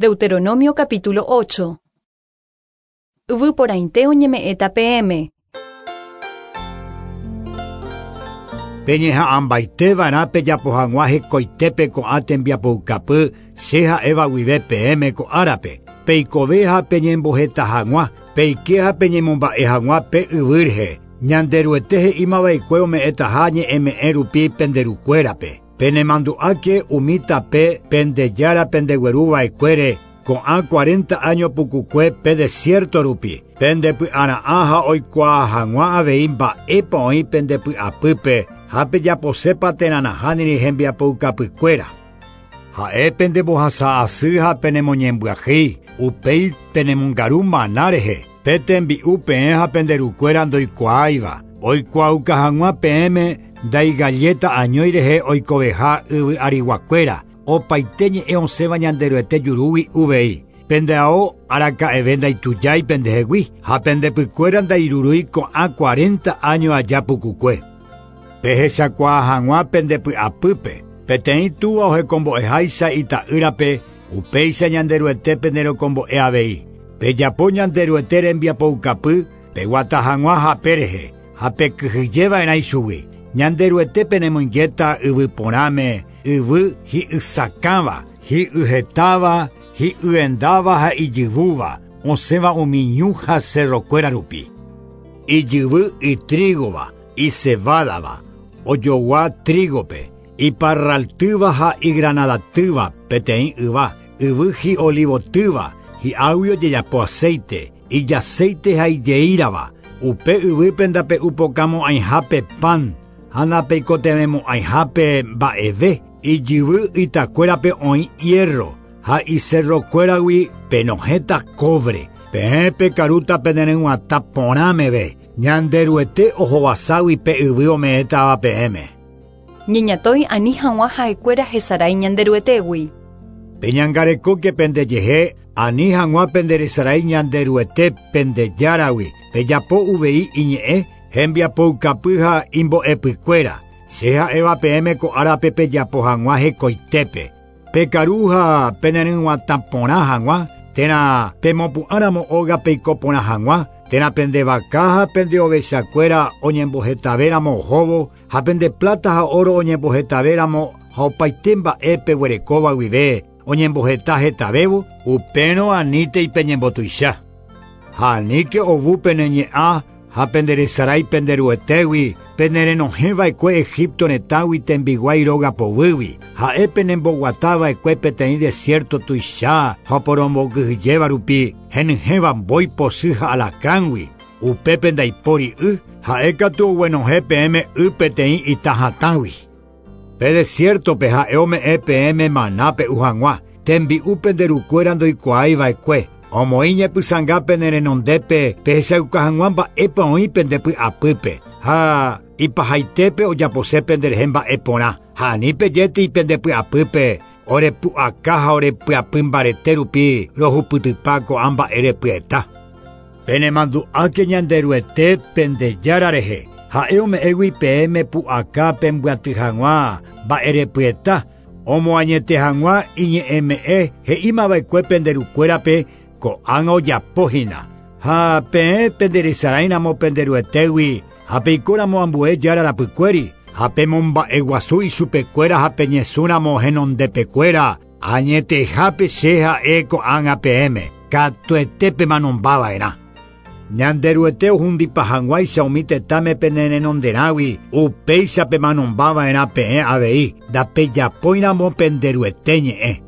Deuteronomio capítulo 8. Yvy porãite oñeme'ẽta peẽme. Peñeha'ãmbaiteva'erã pejapo hag̃ua hekoitépe ko'ã tembiapoukapy che ha'éva guive peẽme ko árape, peikove ha peñemboheta hag̃ua, peike ha peñemomba'e hag̃ua pe yvy rehe. Ñanderuete he'imava'ekue ome'ẽtaha ñe'ẽme'ẽ rupi pende rukuérape. Penemandu'áke umi tape pende Jára pendegueruva'ekuére ko'ã 40 año pukukue pe desierto rupi. Pendepy'ara'ã ha oikuaa hag̃ua avei mba'épa oĩ pendepy'apýpe ha pejaposépa térã nahániri hembiapoukapykuéra. Ha'e pendembohasa'asy ha penemoñembyahýi, upéi penemongaru mana rehe, pe tembi'u peẽ ha pende rukuéra ndoikuaáiva, oikuaauka hag̃ua peẽme ndaigalleta añói rehe oikoveha yvy ariguakuéra, opaite ñe'ẽ osẽva Ñanderuete jurúgui uvei. Pende ao araka'eve ndaitujái pendehegui ha pendepykuéra ndairurúi ko'ã 40 año aja pukukue. Pehechakuaa hag̃ua pendepy'apýpe, peteĩ túva ohekombo'eháicha ita'ýrape, upéicha Ñanderuete penderekombo'e avei. Pejapo Ñanderuete rembiapoukapy, peguata hag̃ua hape rehe, ha pekyhyjeva'erã ichugui. Ñanderuete penemoingéta yvy porãme, yvy hi'ysakãva, hi'yhetáva, hi'yendáva ha ijyvúva, osẽva umi ñu ha cerrokuéra rupi. Ijyvy itrígova, icebádava, ojogua trígope, iparraltýva ha igranadatýva peteĩ yva, yvy hi'olivotýva, hi'águi ojejapo aceite, ijaceite ha ijeírava, upe yvýpe ndape'upokamo'ãihápe pan, ha ndapeikotevẽmo'ãihápe mba'eve, ijyvy itakuérape oĩ hierro, ha icerrokuéragui penohẽta cobre. Peẽ pekarúta peneryg̃uatã porã meve, Ñanderuete ohovaságui pe yvy ome'ẽtava peẽme. Ñeñatõi ani hag̃ua ha'ekuéra hesarái Ñanderuetégui. Peñangarekóke pendejehe ani hag̃ua penderesarái Ñanderuete pendejáragui, pejapo uvei iñe'ẽ, hembiapoukapy ha imbo'epykuéra. Che ha'éva peẽme ko árape pejapo hag̃ua hekoitépe. Pekaru ha peneryg̃uatã porã hag̃ua, térã pemopu'ãramo óga peiko porã hag̃ua, térã pende vaka ha pende ovechakuéra oñembohetavéramo ohóvo, ha pende plata ha oro oñembohetavéramo ha opaite mba'e peguerekóva guive oñemboheta hetavévo, upérõ anítei peñembotuicha. Ha aníke ovu pene ñe'ã ha penderesarái penderuetégui, penerenohẽva'ekue Egipto retãgui tembiguái róga poguýgui. Ha'e penemboguatava'ekue peteĩ desierto tuicha ha oporombokyhyjéva rupi, henyhẽva mbói pochy ha alacrángui. Upépe ndaipóri y, ha'e katu oguenohẽ peẽme y peteĩ ita hatãgui. Pe desiertope ha'e ome'ẽ peẽme maná pe'u hag̃ua, tembi'u pende rukuéra ndoikuaáiva'ekue, omoĩ ñepysãnga pene renondépe pehechauka hag̃ua mba'épa oĩ pendepy'apýpe, ha ipahaitépe ojapose penderehe mba'e porã, ha ani pejétei pendepy'apýpe orepu'aka ha orepyapy mbarete rupi rohupytypa ko'ã mba'e repyeta. Penemandu'áke Ñanderuete pendejára rehe, ha'e ome'ẽgui peẽme pu'aka pembyaty hag̃ua mba'erepyeta, omoañete hag̃ua iñe'ẽme'ẽ he'imava'ekue pende rukuérape ko'ág̃a ojapohína. Ha peẽ penderesaráiramo penderuetégui ha peikóramo ambue jára rapykuéri, ha pemomba'eguasu ichupekuéra ha peñesũramo henondepekuéra, añetehápe che ha'e ko'ág̃a peẽme, katuete pemanombava'erã. Ñanderuete ohundipa hag̃uáicha umi tetãme penerenonderãgui, upéicha pemanombava'erã peẽ avei, ndapejapóiramo penderuete ñe'ẽ.